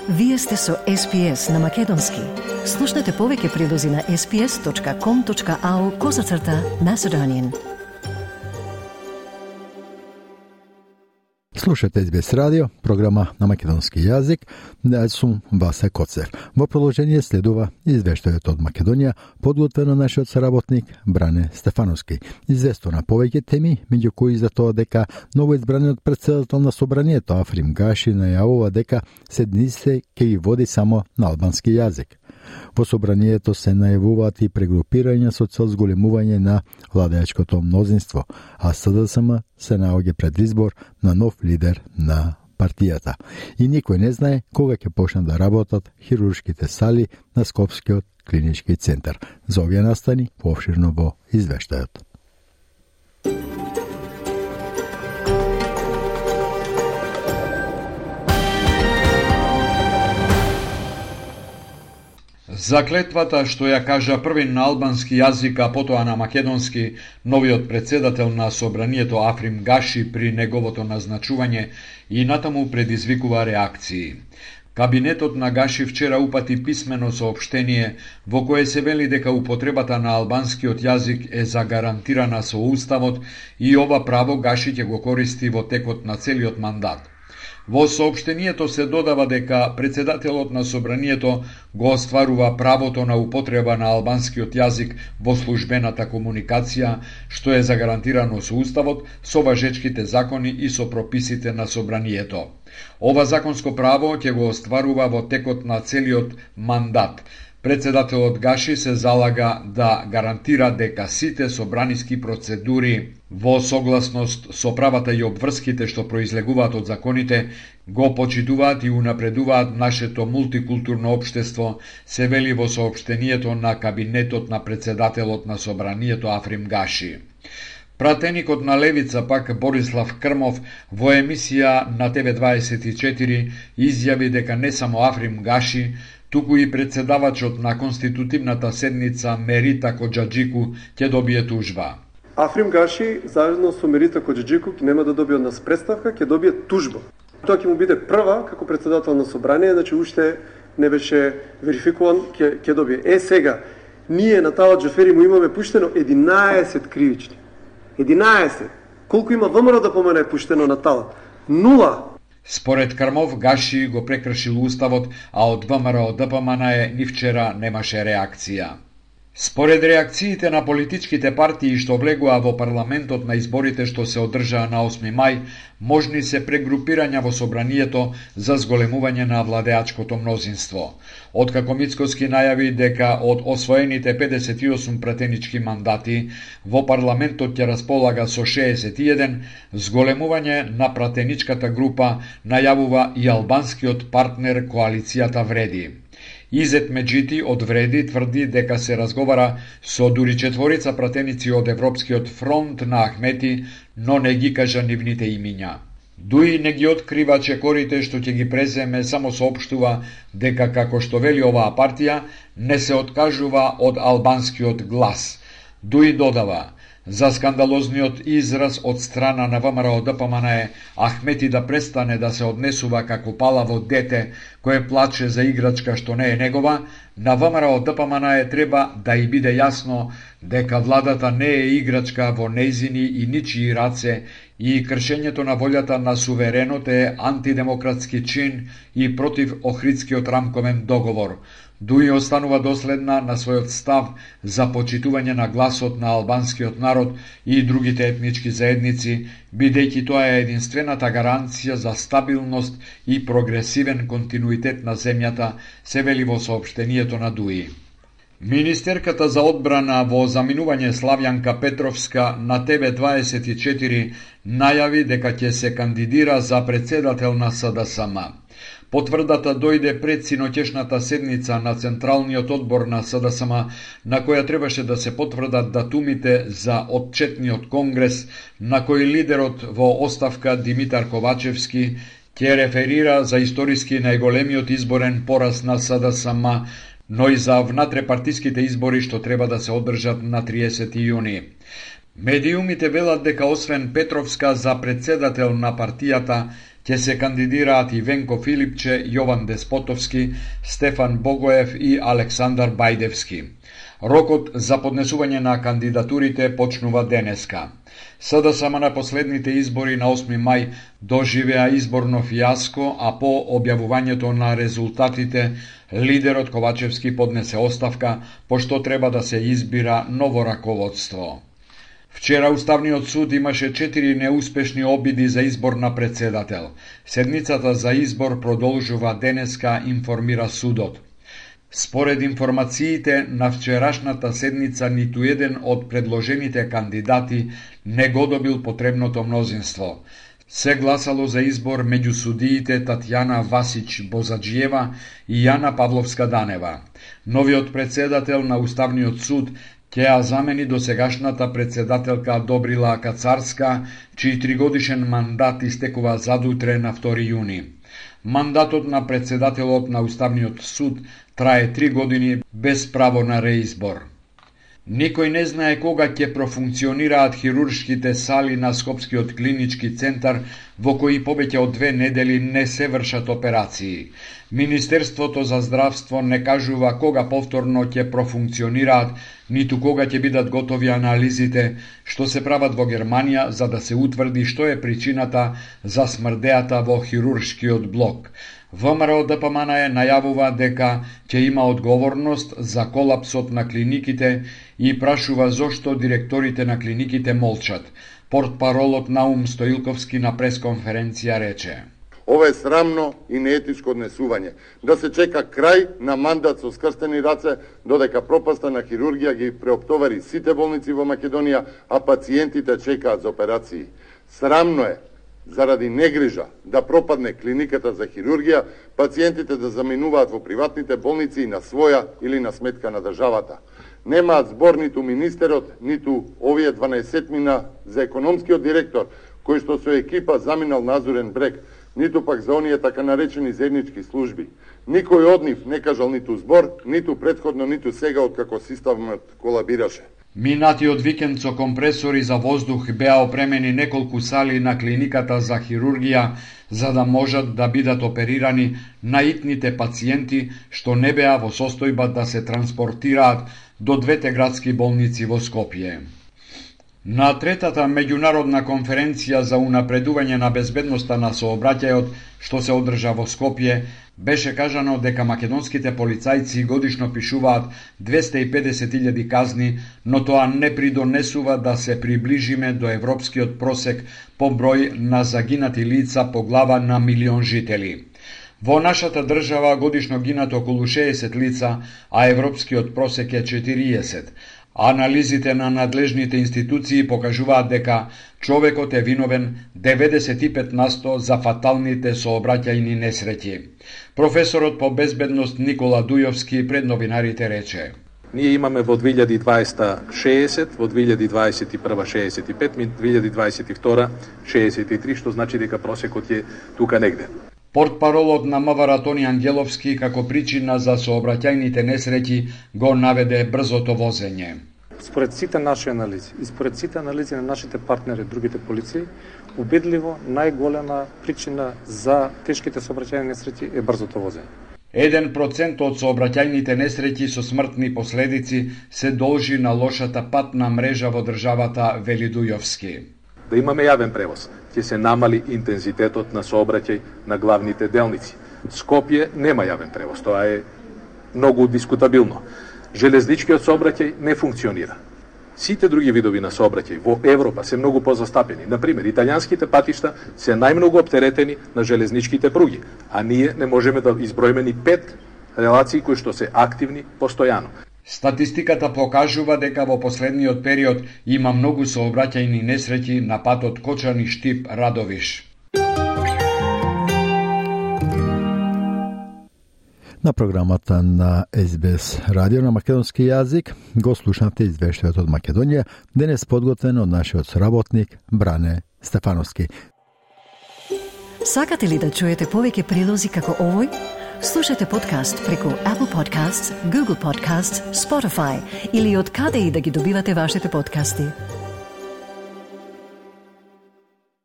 Вие сте со SPS на Македонски. Слушнете повеќе прилози на sps.com.au/Macedonian. Слушате SBS радио, програма на македонски јазик. Сум Васе Коцев. Во продолжение следува извештајот од Македонија, подготвено нашиот соработник Бране Стефановски. Известува на повеќе теми, меѓу кои за тоа дека новоизбраниот председател на собранието Африм Гаши најавува дека седниците ќе ги води само на албански јазик. Во собранието се најавуваат и прегрупирања со цел зголемување на владеачкото мнозинство, а СДСМ се наоѓа пред избор на нов лидер на партијата. И никој не знае кога ќе почнат да работат хируршките сали на Скопскиот клинички центар. За овие настани поопширно во извештајот. Заклетвата што ја кажа први на албански јазик, а потоа на македонски, новиот председател на собранието Африм Гаши при неговото назначување и натаму предизвикува реакции. Кабинетот на Гаши вчера упати писмено соопштение во кое се вели дека употребата на албанскиот јазик е загарантирана со Уставот и ова право Гаши ќе го користи во текот на целиот мандат. Во соопштението се додава дека председателот на собранието го остварува правото на употреба на албанскиот јазик во службената комуникација, што е загарантирано со Уставот, со важечките закони и со прописите на собранието. Ова законско право ќе го остварува во текот на целиот мандат. Председателот Гаши се залага да гарантира дека сите собраниски процедури во согласност со правата и обврските што произлегуваат од законите го почитуваат и унапредуваат нашето мултикултурно општество, се вели во соопштението на кабинетот на председателот на собранието Африм Гаши. Пратеникот на Левица пак Борислав Крмов во емисија на TV24 изјави дека не само Африм Гаши, туку и председавачот на конститутивната седница Мерита Коџаџику ќе добие тужба. Африм Гаши заедно со Мерита Коџаџику нема да добие од нас представка, ќе добие тужба. Тоа ќе му биде прва како председател на собрание, значи уште не беше верификуван, ќе добие. Сега, ние на Талат Џафери му имаме пуштено 11 кривични. 11. Колку има ВМРО да помене пуштено на Талат? 0. Според Крмов, Гаши го прекршил Уставот, а од ВМРО ДПМН ни вчера немаше реакција. Според реакциите на политичките партии што влегоа во парламентот на изборите што се одржаа на 8 мај, можни се прегрупирања во собранието за зголемување на владеачкото мнозинство. Откако Мицкоски најави дека од освоените 58 пратенички мандати во парламентот ќе располага со 61, зголемување на пратеничката група најавува и албанскиот партнер коалицијата Вреди. Изет Меджити од Вреди тврди дека се разговара со дури 4 пратеници од Европскиот фронт на Ахмети, но не ги кажа нивните имиња. Дуи не ги открива чекорите што ќе ги преземе, само соопштува дека, како што вели оваа партија, не се откажува од албанскиот глас. Дуи додава, за скандалозниот израз од страна на ВМРО ДПМН Ахмети да престане да се однесува како палаво дете кое плаче за играчка што не е негова, на ВМРО ДПМН треба да и биде јасно дека владата не е играчка во нејзини и ничии раце и кршењето на волјата на суверенот е антидемократски чин и против Охридскиот рамковен договор. Дуи останува доследна на својот став за почитување на гласот на албанскиот народ и другите етнички заедници, бидејќи тоа е единствената гаранција за стабилност и прогресивен континуитет на земјата, се вели во соопштението на Дуи. Министерката за одбрана во заминување Славјанка Петровска на TV24 најави дека ќе се кандидира за председател на СДСМ. Потврдата дојде пред синоќешната седница на Централниот одбор на СДСМ, на која требаше да се потврдат датумите за отчетниот конгрес, на кој лидерот во оставка Димитар Ковачевски ќе реферира за историски најголемиот изборен пораз на СДСМ, но и за внатрепартиските избори што треба да се одржат на 30 јуни. Медиумите велат дека освен Петровска за председател на партијата ќе се кандидираат и Венко Филипче, Јован Деспотовски, Стефан Богоев и Александар Бајдевски. Рокот за поднесување на кандидатурите почнува денеска. СДСМ на последните избори на 8 мај доживеа изборно фијаско, а по објавувањето на резултатите лидерот Ковачевски поднесе оставка, пошто треба да се избира ново раководство. Вчера Уставниот суд имаше 4 неуспешни обиди за избор на председател. Седницата за избор продолжува денеска, информира судот. Според информациите на вчерашната седница, ниту еден од предложените кандидати не го добил потребното мнозинство. Се гласало за избор меѓу судиите Татјана Васич-Бозаджиева и Јана Павловска-Данева. Новиот председател на Уставниот суд ќе ја замени досегашната председателка Добрила Кацарска, чиј 3-годишен мандат истекува задутре на 2 јуни. Мандатот на председателот на Уставниот суд трае 3 години без право на реизбор. Никој не знае кога ќе профункционираат хируршките сали на Скопскиот клинички центар, во кои повеќе од 2 недели не се вршат операции. Министерството за здравство не кажува кога повторно ќе профункционираат, ниту кога ќе бидат готови анализите што се прават во Германија за да се утврди што е причината за смрдеата во хируршкиот блок. ВМРО ДПМН најавува дека ќе има одговорност за колапсот на клиниките и прашува зошто директорите на клиниките молчат. Портпаролот Наум Стоилковски на пресконференција рече: Ова е срамно и неетичко однесување. Да се чека крај на мандат со скрстени раце, додека пропаста на хирургија ги преоптовари сите болници во Македонија, а пациентите чекаат за операции. Срамно е, заради негрижа, да пропадне клиниката за хирургија, пациентите да заминуваат во приватните болници и на своја или на сметка на државата. Немаат збор ниту министерот, ниту овие 12-мина за економскиот директор, кој што со екипа заминал на Азурен брег, ниту пак за оние така наречени заеднички служби. Никој од нив не кажал ниту збор, ниту претходно, ниту сега откако системот колабираше. Минатиот викенд со компресори за воздух беа опремени неколку сали на клиниката за хирургија за да можат да бидат оперирани наитните пациенти што не беа во состојба да се транспортираат до 2 градски болници во Скопје. На третата меѓународна конференција за унапредување на безбедноста на сообраќајот што се одржа во Скопје, беше кажано дека македонските полицајци годишно пишуваат 250.000 казни, но тоа не придонесува да се приближиме до европскиот просек по број на загинати лица по глава на милион жители. Во нашата држава годишно гинат околу 60 лица, а европскиот просек е 40. Анализите на надлежните институции покажуваат дека човекот е виновен 95% за фаталните сообраќајни несреќи. Професорот по безбедност Никола Дујовски пред новинарите рече: Ние имаме во 2020 60, во 2021 65, 2022 63, што значи дека просекот е тука негде. Портпаролот на МВР Тони Ангеловски како причина за сообраќајните несреќи го наведе брзото возење. Според сите наши анализи и според сите анализи на нашите партнери, другите полиции, убедливо најголема причина за тешките сообраќајни несреќи е брзото возење. 1% од сообраќајните несреќи со смртни последици се должи на лошата патна мрежа во државата, вели Дујовски. Да имаме јавен превоз, ќе се намали интензитетот на сообраќај на главните делници. Скопје нема јавен превоз, тоа е многу дискутабилно. Железничкиот сообраќај не функционира. Сите други видови на сообраќај во Европа се многу позастапени. Например, италијанските патишта се најмногу оптеретени на железничките пруги, а ние не можеме да изброиме ни 5 релации кои што се активни постојано. Статистиката покажува дека во последниот период има многу сообраќајни несреќи на патот Кочани-Штип-Радовиш. На програмата на СБС радио на македонски јазик го слушнавте извештајот од Македонија, денес подготвен од нашиот соработник Бране Стефановски. Сакате ли да чуете повеќе прилози како овој? Слушате подкаст преку Apple Podcasts, Google Podcasts, Spotify или од каде и да ги добивате вашите подкасти.